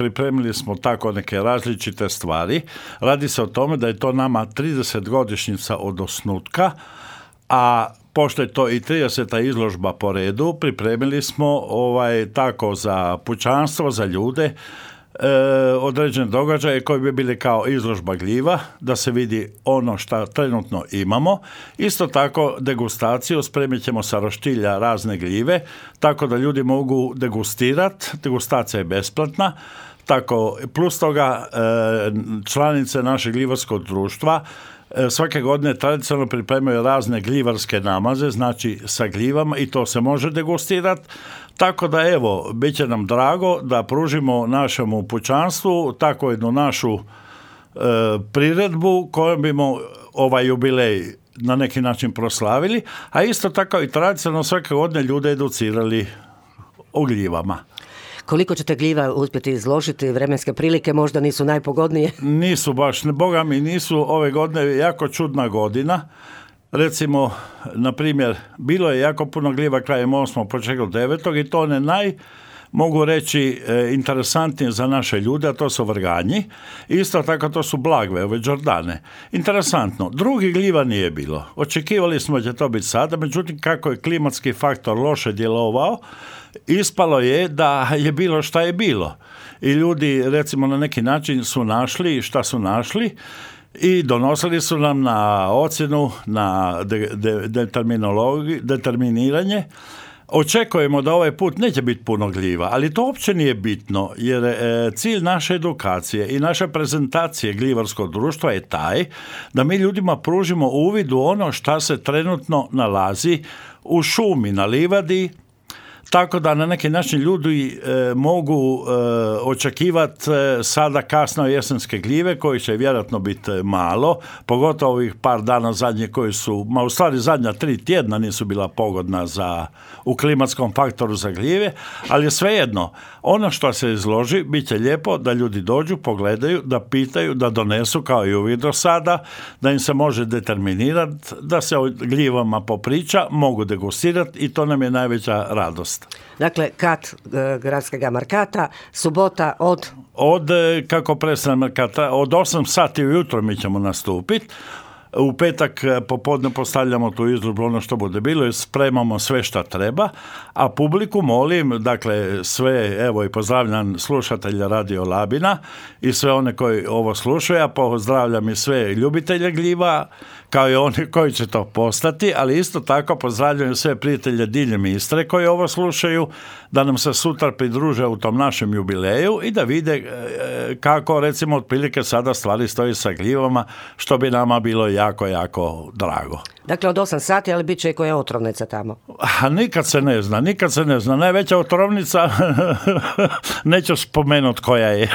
pripremili smo tako neke različite stvari. Radi se o tome da je to nama 30 godišnjica od osnutka, a pošto je to i 30. izložba po redu, pripremili smo tako za pučanstvo, za ljude, određene događaje koji bi bili kao izložba gljiva, da se vidi ono što trenutno imamo. Isto tako degustaciju, spremit ćemo sa roštilja razne gljive, tako da ljudi mogu degustirati, degustacija je besplatna. Tako, plus toga članice našeg gljivarskog društva svake godine tradicionalno pripremaju razne gljivarske namaze, znači sa gljivama, i to se može degustirati. Tako da evo, bit će nam drago da pružimo našemu pučanstvu tako jednu našu priredbu kojom bimo ovaj jubilej na neki način proslavili, a isto tako i tradicionalno svake godine ljude educirali o gljivama. Koliko ćete gljiva uspjeti izložiti? Vremenske prilike možda nisu najpogodnije? Nisu baš, Boga mi nisu. Ove godine jako čudna godina. Recimo, na primjer, bilo je jako puno gljiva krajem 8. početkom 9. i to ne mogu reći interesantnije za naše ljude, a to su vrganji. Isto tako to su blagve, ove đordane. Interesantno, drugih gljiva nije bilo. Očekivali smo da će to biti sada, međutim kako je klimatski faktor loše djelovao, ispalo je da je bilo šta je bilo. I ljudi, recimo, na neki način su našli šta su našli i donosili su nam na ocjenu, na determiniranje. Očekujemo da ovaj put neće biti puno gljiva, ali to uopće nije bitno, jer cilj naše edukacije i naše prezentacije gljivarskog društva je taj da mi ljudima pružimo uvid u ono šta se trenutno nalazi u šumi, na livadi, tako da na neki način ljudi mogu očekivati sada kasno jesenske gljive, koji će vjerojatno biti malo, pogotovo ovih par dana zadnje koji su, u stvari zadnja 3 tjedna nisu bila pogodna u klimatskom faktoru za gljive, ali svejedno, ono što se izloži bit će lijepo da ljudi dođu, pogledaju, da pitaju, da donesu kao i uvijek do sada, da im se može determinirati, da se o gljivama popriča, mogu degustirati i to nam je najveća radost. Dakle, kat gradskog markata, subota od kako prestane markata, od 8 sati ujutro mi ćemo nastupiti. U petak popodne postavljamo tu izložbu, ono što bude bilo, i spremamo sve šta treba, a publiku molim, dakle sve, evo i pozdravljam slušatelja Radio Labina i sve one koji ovo slušaju, a pozdravljam i sve ljubitelje gljiva, kao i oni koji će to postati, ali isto tako pozdravljam sve prijatelje diljem Istre koji ovo slušaju, da nam se sutra pridruže u tom našem jubileju i da vide kako, recimo, otprilike sada stvari stoji sa gljivama, što bi nama bilo jako, jako drago. Dakle, od 8 sati, ali bit će i koja otrovnica tamo? Nikad se ne zna. Najveća otrovnica, neću spomenuti koja je.